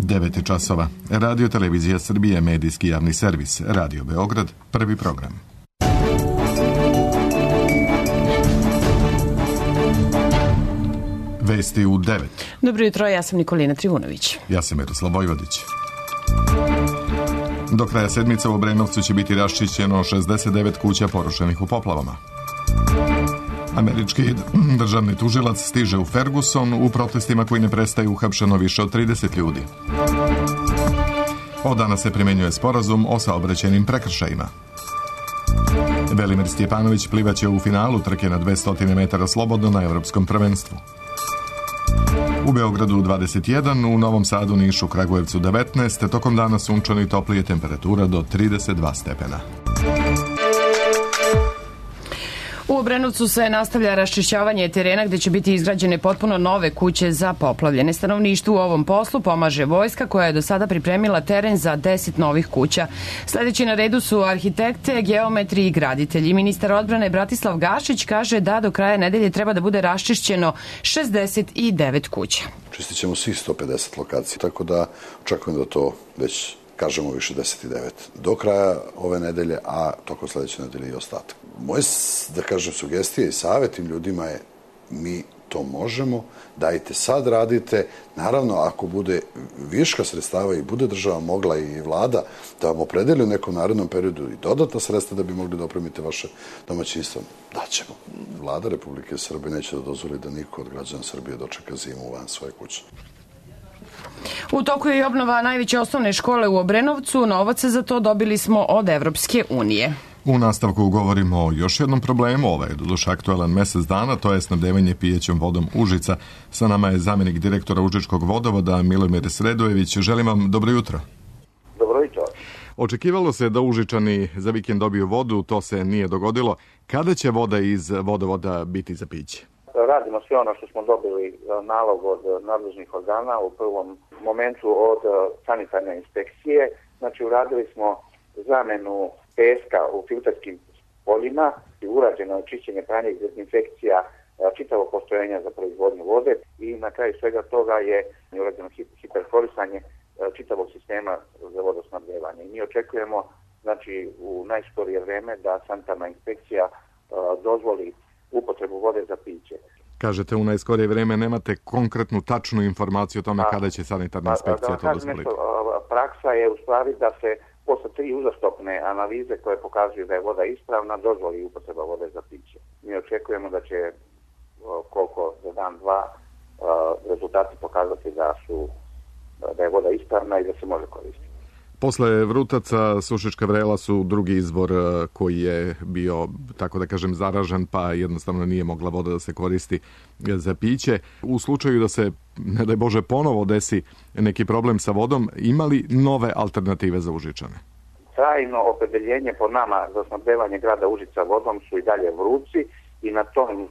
9 časova. Radio Televizija Srbije, medijski javni servis. Radio Beograd, prvi program. Vesti u 9. Dobro jutro, ja sam Nikolina Trivunović. Ja sam Miroslav Vojvodić. Do kraja sedmice u Obrenovcu će biti raščišćeno 69 kuća porušenih u poplavama. Američki državni tužilac stiže u Ferguson u protestima koji ne prestaju, uhapšeno više od 30 ljudi. Od danas se primenjuje sporazum o saobraćajnim prekršajima. Velimir Stjepanović plivaće u finalu trke na 200 metara slobodno na Evropskom prvenstvu. U Beogradu 21, u Novom Sadu, Nišu, Kragujevcu 19, tokom dana sunčano i toplije, temperatura do 32 stepena. U Obrenovcu se nastavlja raščišćavanje terena gde će biti izgrađene potpuno nove kuće za poplavljene. Stanovništvu u ovom poslu pomaže vojska koja je do sada pripremila teren za 10 novih kuća. Sledeći na redu su arhitekte, geometri i graditelji. Ministar odbrane Bratislav Gašić kaže da do kraja nedelje treba da bude raščišćeno 69 kuća. Čistit ćemo svih 150 lokacija, tako da očekujem da to već kažemo više 69 do kraja ove nedelje, a tokom sledeće nedelje i ostatak. Moje, da kažem, sugestije i savjet tim ljudima je: mi to možemo, dajte sad radite. Naravno, ako bude viška sredstava i bude država mogla i vlada da vam opredeli u nekom narednom periodu i dodatna sredstva da bi mogli da opremite vaše domaćinstvo, daćemo. Vlada Republike Srbije neće da dozvoli da niko od građana Srbije dočeka zimu van svoje kuće. U toku je i obnova najveće osnovne škole u Obrenovcu. Novac za to dobili smo od Evropske unije. U nastavku govorimo o još jednom problemu, ovaj je doduše aktuelan mesec dana, to je snabdevanje pijećom vodom Užica. Sa nama je zamjenik direktora Užičkog vodovoda Milomir Sredojević. Želim vam dobro jutro. Dobro jutro. Očekivalo se da Užičani za vikend dobiju vodu, to se nije dogodilo. Kada će voda iz vodovoda biti za piće? Radimo sve ono što smo dobili nalog od nadležnih organa u prvom momentu od sanitarne inspekcije. Znači, uradili smo zamenu peska u filterskim poljima i urađeno čišćenje, pranje i dezinfekcija čitavog postrojenja za proizvodnju vode i na kraju svega toga je urađeno hiperkorisanje čitavog sistema za vodosnabdevanje. I mi očekujemo, znači, u najskorije vreme da sanitarna inspekcija dozvoli upotrebu vode za piće. Kažete u najskorije vreme, nemate konkretnu tačnu informaciju o tome kada će sanitarna inspekcija to dozvoliti? Praksa je u stvari da se posle 3 uzastopne analize koje pokazuju da je voda ispravna dozvoli upotreba vode za piće. Mi očekujemo da će koliko za dan, dva rezultati pokazati da je voda ispravna i da se može koristiti. Posle Vrutaca, Sušička Vrela su drugi izvor koji je bio, tako da kažem, zaražen, pa jednostavno nije mogla voda da se koristi za piće. U slučaju da se, ne daj Bože, ponovo desi neki problem sa vodom, ima li nove alternative za Užičane? Trajno opredeljenje po nama za snabdevanje grada Užica vodom su i dalje Vruci i na tom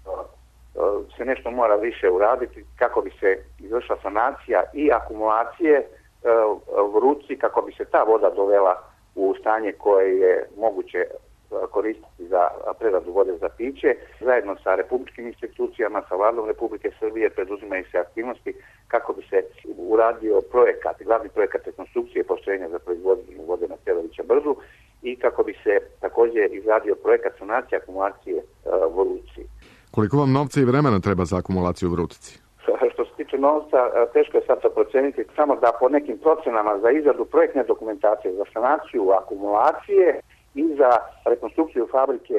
se nešto mora više uraditi kako bi se izvršila sanacija i akumulacije Vruci, kako bi se ta voda dovela u stanje koje je moguće koristiti za preradu vode za piće. Zajedno sa republičkim institucijama, sa Vladom Republike Srbije preduzimaju se aktivnosti kako bi se uradio projekat, glavni projekat rekonstrukcije postrojenja za proizvodnju vode na Celovića brdu i kako bi se također izradio projekat sanacije akumulacije Vruci. Koliko vam novca i vremena treba za akumulaciju u Vrutici? Što se tiče novca, teško je sad to proceniti, samo da po nekim procenama za izradu projektne dokumentacije, za sanaciju akumulacije i za rekonstrukciju fabrike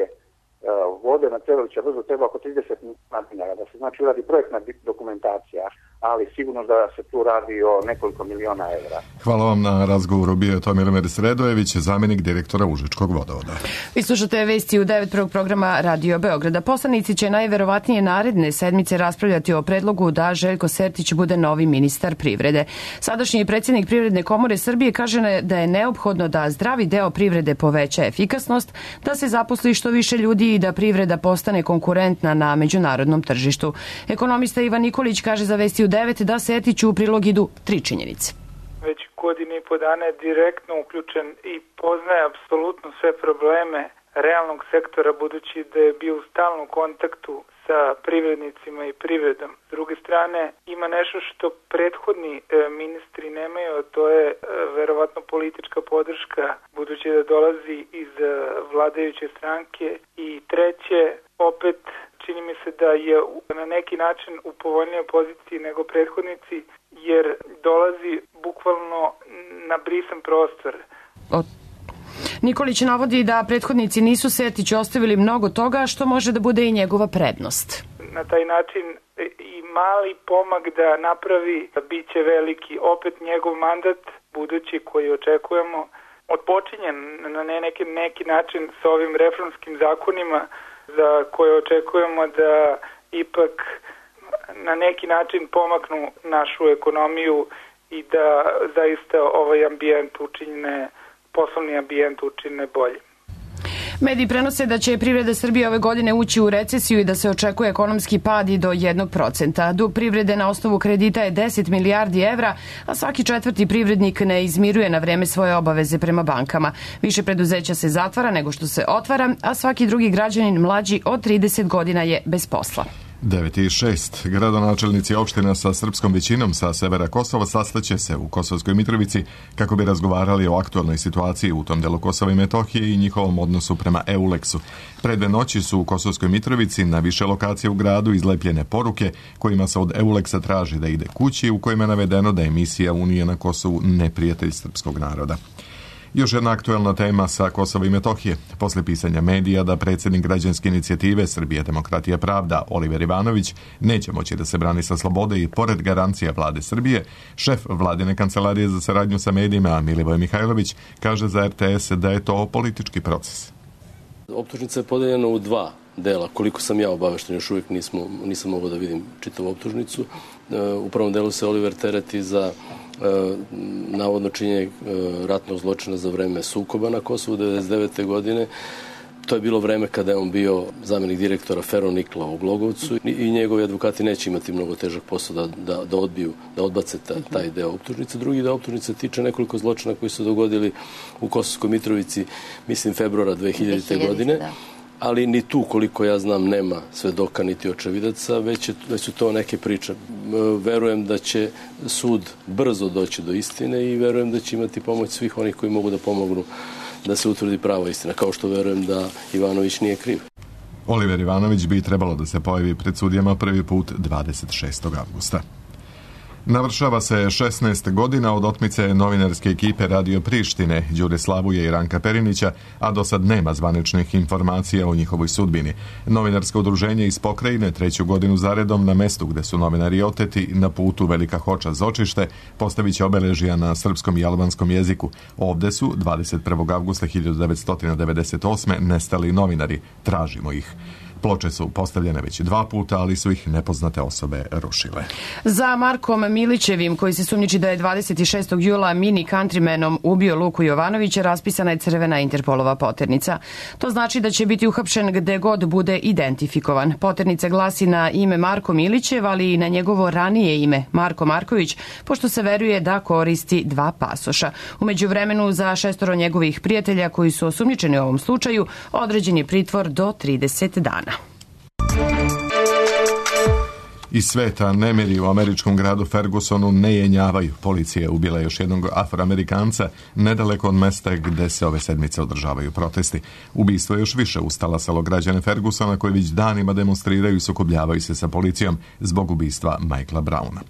vode na Celovića brdu treba oko 30 milijuna dinara, da se znači uradi projektna dokumentacija, ali sigurno da se tu radi o nekoliko miliona evra. Hvala vam na razgovoru. Bio je to Milomir Sredojević, zamjenik direktora Užičkog vodovoda. Vi slušate vesti u 9 prvog programa Radio Beograda. Poslanici će najverovatnije naredne sedmice raspravljati o predlogu da Željko Sertić bude novi ministar privrede. Sadašnji predsjednik Privredne komore Srbije kaže da je neophodno da zdravi deo privrede poveća efikasnost, da se zaposli što više ljudi i da privreda postane konkurentna na međunarodnom tržištu. Ekonomista Ivan Nikolić kaže za vesti u 9 da Sertiću u prilog idu 3 činjenice. Već godinu i po dana je direktno uključen i poznaje apsolutno sve probleme realnog sektora, budući da je bio u stalnom kontaktu sa privrednicima i privredom. S druge strane, ima nešto što prethodni ministri nemaju, a to je verovatno politička podrška, budući da dolazi iz vladajuće stranke. I treće, opet čini mi se da je na neki način u povoljnijoj poziciji nego prethodnici, jer dolazi bukvalno na brisan prostor. Nikolić navodi da prethodnici nisu Sertiću ostavili mnogo toga, što može da bude i njegova prednost. Na taj način i mali pomak da napravi biće veliki. Opet njegov mandat, budući koji očekujemo, odpočinjen na neki način sa ovim reformskim zakonima za koje očekujemo da ipak na neki način pomaknu našu ekonomiju i da zaista ovaj ambijent učine, poslovni ambijent učine bolje. Mediji prenose da će privreda Srbije ove godine ući u recesiju i da se očekuje ekonomski pad i do 1%. Dug privrede na osnovu kredita je 10 milijardi evra, a svaki četvrti privrednik ne izmiruje na vreme svoje obaveze prema bankama. Više preduzeća se zatvara nego što se otvara, a svaki drugi građanin mlađi od 30 godina je bez posla. 9.6. Gradonačelnici opština sa srpskom većinom sa severa Kosova sastaće se u Kosovskoj Mitrovici kako bi razgovarali o aktualnoj situaciji u tom delu Kosova i Metohije i njihovom odnosu prema EULEX-u. Pre 2 noći su u Kosovskoj Mitrovici na više lokacije u gradu izlepljene poruke kojima se od EULEX-a traži da ide kući, u kojima je navedeno da je misija Unije na Kosovu neprijatelj srpskog naroda. Još jedna aktuelna tema sa Kosova i Metohije. Posle pisanja medija da predsjednik građanske inicijative Srbija, demokratija, pravda Oliver Ivanović neće moći da se brani sa slobode i pored garancija vlade Srbije, šef vladine kancelarije za saradnju sa medijima Milivoj Mihajlović kaže za RTS da je to politički proces. Optužnica je podeljena u 2 dela. Koliko sam ja obavešten, još uvijek nisam mogao da vidim čitavu optužnicu. U prvom delu se Oliver tereti za navodno činjenje ratnog zločina za vreme sukoba na Kosovu 1999. godine. To je bilo vreme kada je on bio zamenik direktora Ferronikla u Glogovcu i njegovi advokati neće imati mnogo težak posao da odbace taj deo optužnice. Drugi deo optužnice tiče nekoliko zločina koji su dogodili u Kosovskoj Mitrovici, mislim februara 2000. godine. Da. Ali ni tu, koliko ja znam, nema svedoka niti očevidaca, već su to neke priče. Verujem da će sud brzo doći do istine i verujem da će imati pomoć svih onih koji mogu da pomognu da se utvrdi prava istina, kao što verujem da Ivanović nije kriv. Oliver Ivanović bi trebalo da se pojavi pred sudijama prvi put 26. avgusta. Navršava se 16 godina od otmice novinarske ekipe Radio Prištine, Đure Slavuje i Ranka Perinića, a do sad nema zvaničnih informacija o njihovoj sudbini. Novinarsko udruženje iz pokrajine 3. godinu zaredom na mestu gde su novinari oteti na putu Velika Hoča Zočište postavit će obeležija na srpskom i albanskom jeziku. Ovde su 21. avgusta 1998. nestali novinari. Tražimo ih. Ploče su postavljene već 2 puta, ali su ih nepoznate osobe rušile. Za Markom Milićevim, koji se sumnjiči da je 26. jula mini countrymanom ubio Luku Jovanovića, raspisana je crvena Interpolova poternica. To znači da će biti uhapšen gde god bude identifikovan. Poternica glasi na ime Marko Milićev, ali i na njegovo ranije ime Marko Marković, pošto se veruje da koristi 2 pasoša. U međuvremenu za 6 njegovih prijatelja koji su osumnjičeni u ovom slučaju određen je pritvor do 30 dana. Iz sveta nemiri u američkom gradu Fergusonu ne jenjavaju. Policija je ubila još jednog Afroamerikanca nedaleko od mesta gde se ove sedmice održavaju protesti. Ubistvo je još više ustala selo građane Fergusona koji već danima demonstriraju i sukobljavaju se sa policijom zbog ubistva Michaela Browna.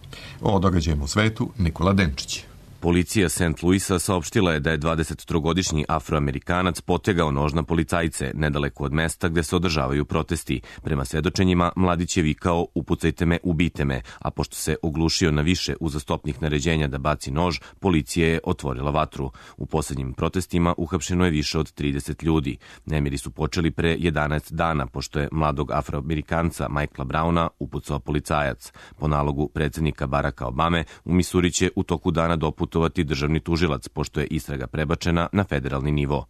O događajima u svetu Nikola Denčić. Policija St. Louisa saopštila je da je 23-godišnji Afroamerikanac potegao nož na policajce nedaleko od mesta gde se održavaju protesti. Prema svedočenjima, mladić je vikao "upucajte me, ubijte me", a pošto se oglušio na više uzastopnih naređenja da baci nož, policija je otvorila vatru. U poslednjim protestima uhapšeno je više od 30 ljudi. Nemiri su počeli pre 11 dana, pošto je mladog Afroamerikanca Michaela Browna upucao policajac. Po nalogu predsjednika Baracka Obame, u Misuri će u toku dana doputovati državni tužilac, pošto je istraga prebačena na federalni nivo.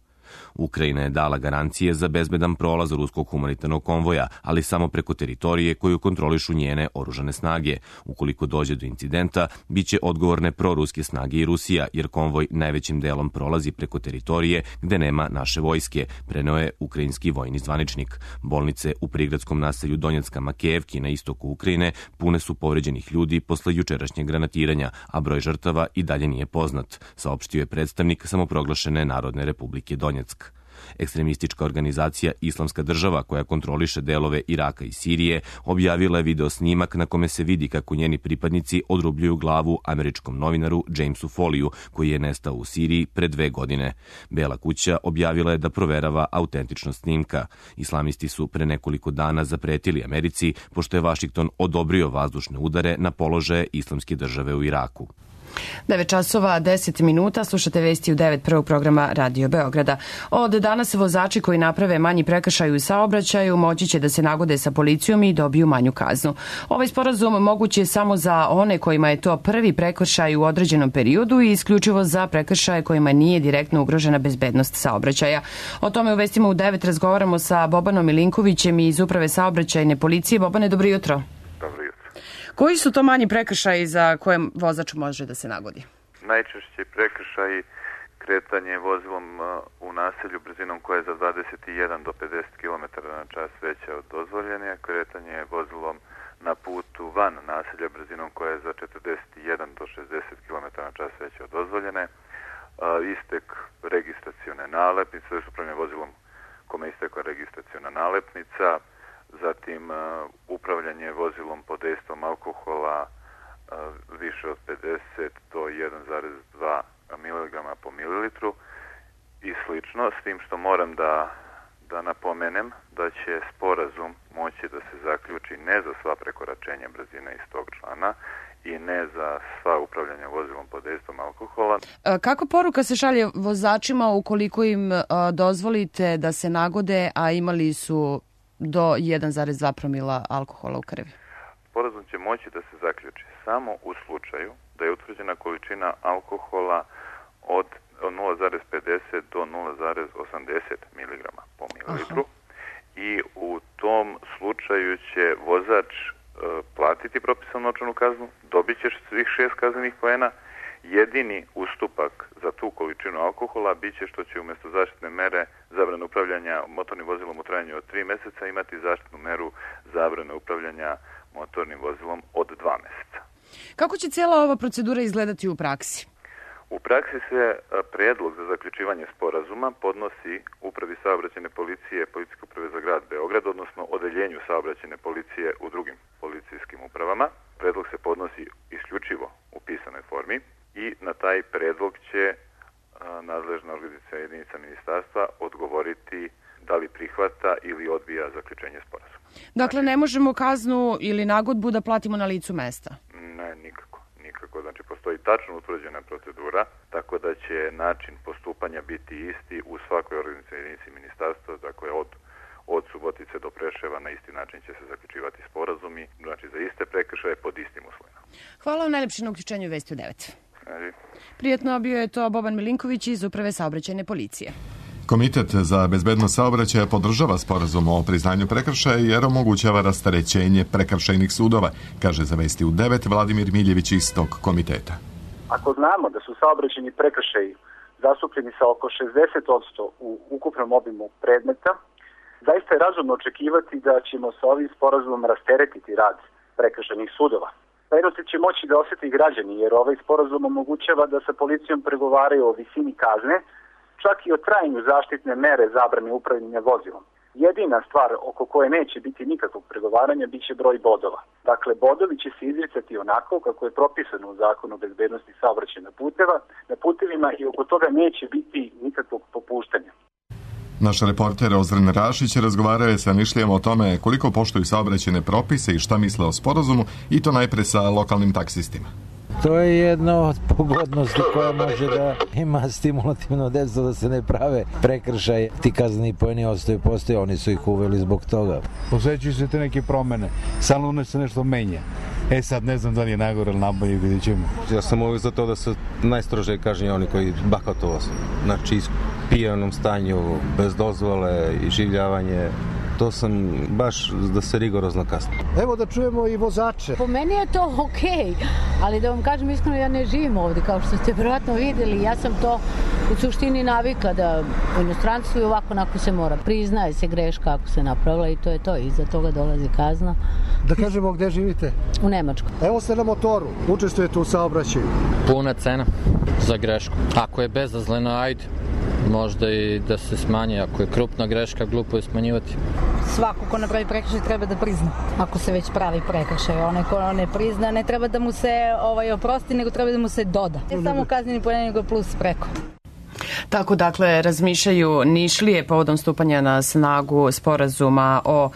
Ukrajina je dala garancije za bezbedan prolaz ruskog humanitarnog konvoja, ali samo preko teritorije koju kontrolišu njene oružane snage. Ukoliko dođe do incidenta, biće odgovorne proruske snage i Rusija, jer konvoj najvećim delom prolazi preko teritorije gde nema naše vojske, preneo je ukrajinski vojni zvaničnik. Bolnice u prigradskom naselju Donjecka Makejevki na istoku Ukrajine pune su povređenih ljudi posle jučerašnjeg granatiranja, a broj žrtava i dalje nije poznat, saopštio je predstavnik samoproglašene Narodne republike Donjeck. Ekstremistička organizacija Islamska država, koja kontroliše delove Iraka i Sirije, objavila je video snimak na kome se vidi kako njeni pripadnici odrubljuju glavu američkom novinaru Jamesu Foliju, koji je nestao u Siriji pre 2 godine. Bela kuća objavila je da proverava autentičnost snimka. Islamisti su pre nekoliko dana zapretili Americi, pošto je Vašington odobrio vazdušne udare na položaje Islamske države u Iraku. 9 časova 10 minuta, slušate vesti u 9 prvog programa Radio Beograda. Od danas vozači koji naprave manji prekršaj u saobraćaju moći će da se nagode sa policijom i dobiju manju kaznu. Ovaj sporazum moguć je samo za one kojima je to prvi prekršaj u određenom periodu i isključivo za prekršaje kojima nije direktno ugrožena bezbednost saobraćaja. O tome u vestima u 9 razgovaramo sa Bobanom Milinkovićem iz Uprave saobraćajne policije. Bobane, dobro jutro. Koji su to manji prekršaji za koje vozač može da se nagodi? Najčešći prekršaji kretanje vozilom u naselju brzinom koja je za 21 do 50 km na čas veća od dozvoljene, kretanje vozilom na putu van naselja brzinom koja je za 41 do 60 km na čas veća od dozvoljene, istek registracione nalepnice, to je upravljanje vozilom kome je istekla registraciona nalepnica, zatim upravljanje vozilom pod dejstvom alkohola više od 50 do 1,2 mg po mililitru i slično, s tim što moram da napomenem da će sporazum moći da se zaključi ne za sva prekoračenja brzine iz tog člana i ne za sva upravljanja vozilom pod dejstvom alkohola. Kako poruka se šalje vozačima ukoliko im dozvolite da se nagode, a imali su do 1,2 promila alkohola u krvi? Sporazum će moći da se zaključi samo u slučaju da je utvrđena količina alkohola od 0,50 do 0,80 mg po mililitru. I u tom slučaju će vozač platiti propisanu novčanu kaznu, dobit će svih 6 kaznenih poena. Jedini ustupak za tu količinu alkohola biće što će umjesto zaštitne mere zabrane upravljanja motornim vozilom u trajanju od 3 meseca imati zaštitnu meru zabrane upravljanja motornim vozilom od 2 meseca. Kako će cijela ova procedura izgledati u praksi? U praksi se predlog za zaključivanje sporazuma podnosi Upravi saobraćajne policije, Policijske uprave za grad Beograd, odnosno Odeljenju saobraćajne policije u drugim policijskim upravama. Predlog se podnosi isključivo u pisanoj formi i na taj predlog će nadležna organizacijska jedinica ministarstva odgovoriti da li prihvata ili odbija zaključenje sporazuma. Dakle, ne možemo kaznu ili nagodbu da platimo na licu mesta? Ne, nikako. Znači, postoji tačno utvrđena procedura, tako da će način postupanja biti isti u svakoj organizacijskoj jedinici ministarstva, dakle od Subotice do Preševa na isti način će se zaključivati sporazumi, znači za iste prekršaje pod istim uslovima. Hvala vam najlepše na uključenju Vesti u 9. Prijetno, bio je to Boban Milinković iz Uprave saobraćajne policije. Komitet za bezbednost saobraćaja podržava sporazum o priznanju prekršaja jer omogućava rasterećenje prekršajnih sudova, kaže za Vesti u 9 Vladimir Miljević iz tog komiteta. Ako znamo da su saobraćajni prekršaji zastupljeni sa oko 60% u ukupnom obimu predmeta, zaista je razumno očekivati da ćemo sa ovim sporazumom rasteretiti rad prekršajnih sudova. Prednosti će moći da osjeti građani jer ovaj sporazum omogućava da sa policijom pregovaraju o visini kazne, čak i o trajanju zaštitne mere zabrane upravljanja vozilom. Jedina stvar oko koje neće biti nikakvog pregovaranja biće broj bodova. Dakle, bodovi će se izricati onako kako je propisano u Zakonu o bezbednosti saobraćaja na putevima i oko toga neće biti nikakvog popuštanja. Naš reporter Ozren Rašić razgovarao je sa Nišlijama o tome koliko poštuju saobraćajne propise i šta misle o sporazumu, i to najpre sa lokalnim taksistima. To je jedna od pogodnosti koja može da ima stimulativno dejstvo da se ne prave prekršaj. Ti kazneni poeni postoje, oni su ih uveli zbog toga. Osjećaju se te neke promene, samo se nešto menja. Sad ne znam da li je nagore ili nabolje, vidjet ćemo. Ja sam uvijek za to da se najstrože kažnje oni koji bahatovo, znači pijanom stanju, bez dozvole, iživljavanje. To sam baš da se rigorozno kazni. Evo da čujemo i vozače. Po meni je to okej, ali da vam kažem iskreno, ja ne živim ovdje, kao što ste vjerojatno vidjeli. Ja sam to u suštini navikla da u inostranstvu i ovako onako se mora. Priznaje se greška ako se napravila i to je to. Iza toga dolazi kazna. Da kažemo gdje živite? U Nemačkoj. Evo ste na motoru, učestvujete u saobraćaju. Puna cena za grešku. Ako je bezazlena, ajde. Možda i da se smanji. Ako je krupna greška, glupo je smanjivati. Svako ko napravi prekršaj treba da prizna. Ako se već pravi prekršaj, onaj ko ne prizna, ne treba da mu se oprosti, nego treba da mu se doda. Ne samo kazneni poen, nego plus preko. Tako dakle razmišljaju Nišlije povodom stupanja na snagu sporazuma o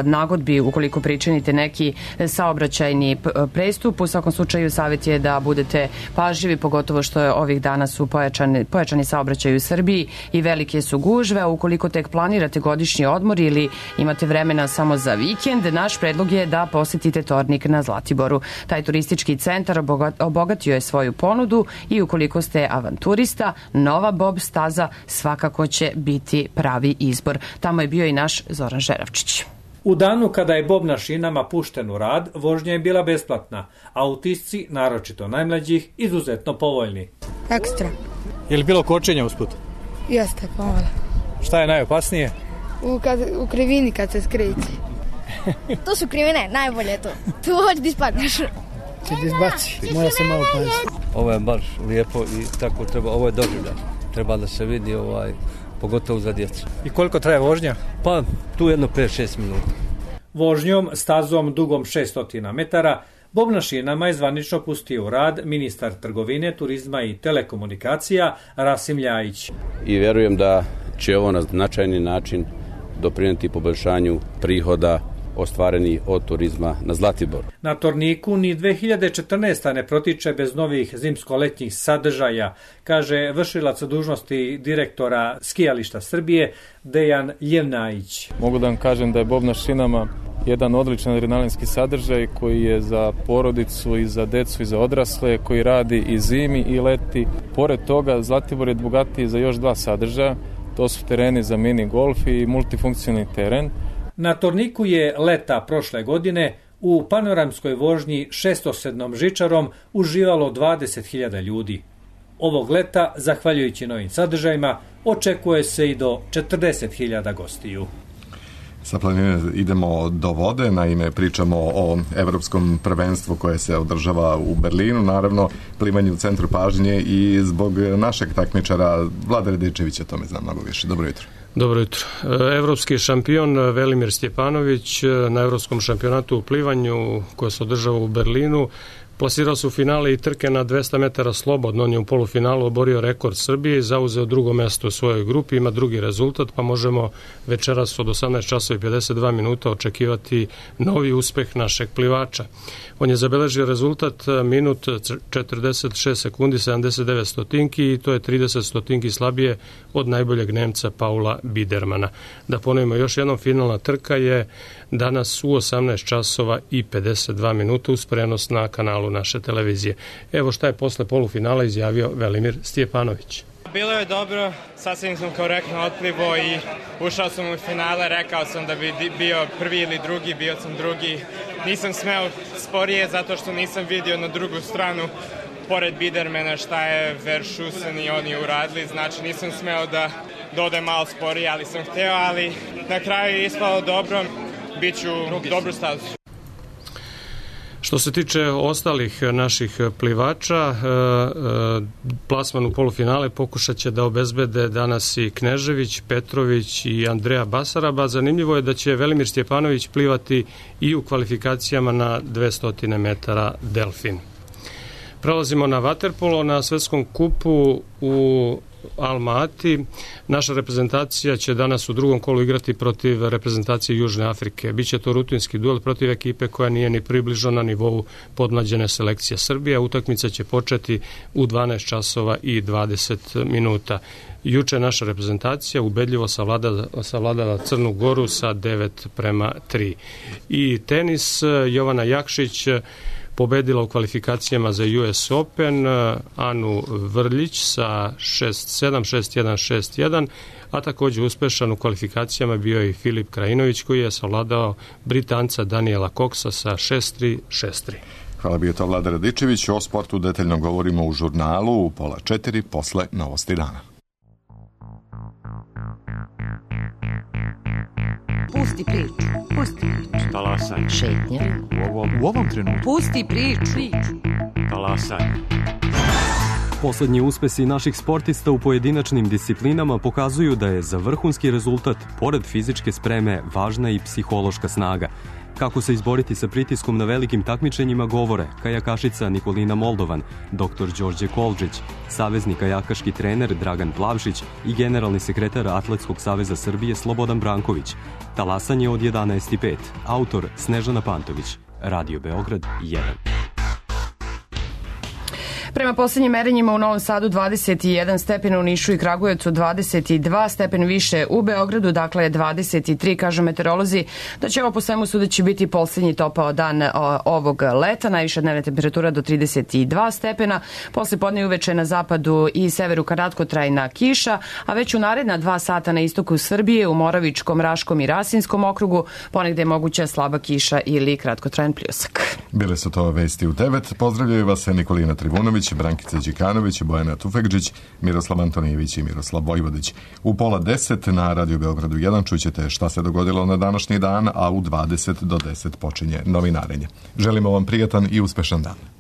nagodbi ukoliko pričinite neki saobraćajni prestup. U svakom slučaju savjet je da budete pažljivi, pogotovo što je ovih dana su pojačani saobraćaj u Srbiji i velike su gužve. Ukoliko tek planirate godišnji odmor ili imate vremena samo za vikend, naš predlog je da posetite Tornik na Zlatiboru. Taj turistički centar obogatio je svoju ponudu i ukoliko ste avanturista, nova Bob staza svakako će biti pravi izbor. Tamo je bio i naš Zoran Žeravčić. U danu kada je Bob na šinama pušten u rad, vožnja je bila besplatna, a utisci, naročito najmlađih, izuzetno povoljni. Ekstra. Je li bilo kočenja usput? Jeste, pomalo. Šta je najopasnije? U krivini kad se skreće. To su krivine, najbolje je to. Tu hoći da ispadneš. Ti da izbaci, moja se malo pojesti. Ovo je baš lijepo i tako treba, ovo je doživljaj. Treba da se vidi, pogotovo za djecu. I koliko traje vožnja? Pa tu jedno 5-6 minuta. Vožnjom stazom dugom 600 metara Bob na šinama je zvanično pustio u rad ministar trgovine, turizma i telekomunikacija Rasim Ljajić. I vjerujem da će ovo na značajni način doprinijeti poboljšanju prihoda ostvareni od turizma na Zlatiboru. Na Torniku ni 2014. ne protiče bez novih zimsko-letnjih sadržaja, kaže vršilac dužnosti direktora skijališta Srbije Dejan Jevnajić. Mogu da vam kažem da je Bob na šinama jedan odličan adrenalinski sadržaj koji je za porodicu i za decu i za odrasle, koji radi i zimi i leti. Pored toga Zlatibor je bogatiji za još 2 sadržaja, to su tereni za mini golf i multifunkcionalni teren. Na Torniku je leta prošle godine u panoramskoj vožnji 607 žičarom uživalo 20.000 ljudi. Ovog leta, zahvaljujući novim sadržajima, očekuje se i do 40.000 gostiju. Sa planine idemo do vode, naime pričamo o evropskom prvenstvu koje se održava u Berlinu, naravno plivanje u centru pažnje i zbog našeg takmičara Vlada Radičevića, to me zna mnogo više. Dobro jutro. Dobro jutro. Evropski šampion Velimir Stjepanović na Evropskom šampionatu u plivanju koje se održava u Berlinu plasirao se u finale i trke na 200 metara slobodno. On je u polufinalu oborio rekord Srbije i zauzeo drugo mesto u svojoj grupi. Ima drugi rezultat, pa možemo večeras od 18 časova i 52 minuta očekivati novi uspeh našeg plivača. On je zabeležio rezultat minut 46 sekundi 79 stotinki i to je 30 stotinki slabije od najboljeg Nemca Paula Bidermana. Da ponovimo još jednom, finalna trka je danas u 18 časova i 52 minuta uz prenos na kanalu naše televizije. Evo šta je posle polufinala izjavio Velimir Stjepanović. Bilo je dobro, sasvim sam korektno otplivo i ušao sam u finale, rekao sam da bi bio prvi ili drugi, bio sam drugi. Nisam smeo sporije zato što nisam vidio na drugu stranu pored Bidermana šta je Verschusen i oni uradili, znači nisam smeo da odem malo sporije, ali sam hteo, ali na kraju je ispalo dobro, bit ću dobru stazu. Što se tiče ostalih naših plivača, plasman u polufinale pokušat će da obezbede danas i Knežević, Petrović i Andreja Basaraba. Zanimljivo je da će Velimir Stjepanović plivati i u kvalifikacijama na 200 metara delfin. Prelazimo na vaterpolo. Na svetskom kupu u Alma-Ati naša reprezentacija će danas u drugom kolu igrati protiv reprezentacije Južne Afrike. Biće to rutinski duel protiv ekipe koja nije ni približno na nivou podmlađene selekcije Srbije. Utakmica će početi u 12 časova i 20 minuta. Juče naša reprezentacija ubedljivo savladala Crnu Goru sa 9-3. I tenis, Jovana Jakšić pobedila u kvalifikacijama za US Open Anu Vrljić sa 6-7, 6-1, 6-1, a također uspešan u kvalifikacijama bio i Filip Krajinović koji je savladao Britanca Daniela Coxa sa 6-3, 6-3. Hvala, bio to Vlada Radičević. O sportu detaljno govorimo u žurnalu u 3:30 posle Novosti dana. Pusti priču. Pusti priču. Talasaj. Šetnja. U ovom trenutku. Pusti priču. Talasaj. Poslednji uspesi naših sportista u pojedinačnim disciplinama pokazuju da je za vrhunski rezultat, pored fizičke spreme, važna i psihološka snaga. Kako se izboriti sa pritiskom na velikim takmičenjima govore kajakašica Nikolina Moldovan, dr. Đorđe Kolđić, savezni kajakaški trener Dragan Plavšić i generalni sekretar Atletskog saveza Srbije Slobodan Branković. Talasanje od 11:05. Autor Snežana Pantović. Radio Beograd 1. Prema posljednjim merenjima u Novom Sadu 21 stepen, u Nišu i Kragujevcu 22 stepen više, u Beogradu dakle 23, kažu meteorolozi da će ovo po svemu sudeći biti posljednji topao dan ovog leta, najviša dnevna temperatura do 32 stepena, posle podne uveče na zapadu i severu kratkotrajna kiša, a već u naredna 2 sata na istoku Srbije, u Moravičkom, Raškom i Rasinskom okrugu ponegde je moguća slaba kiša ili kratkotrajan pljusak. Bile su to vesti u 9. Pozdravljaju vas Nikolina Trivunović, Brankica Đikanović, Bojana Tufekđić, Miroslav Antonijević i Miroslav Vojvodić. U 9:30 na Radio Beogradu 1 čućete šta se dogodilo na današnji dan, a u 20 do 10 počinje novinarenje. Želimo vam prijatan i uspešan dan.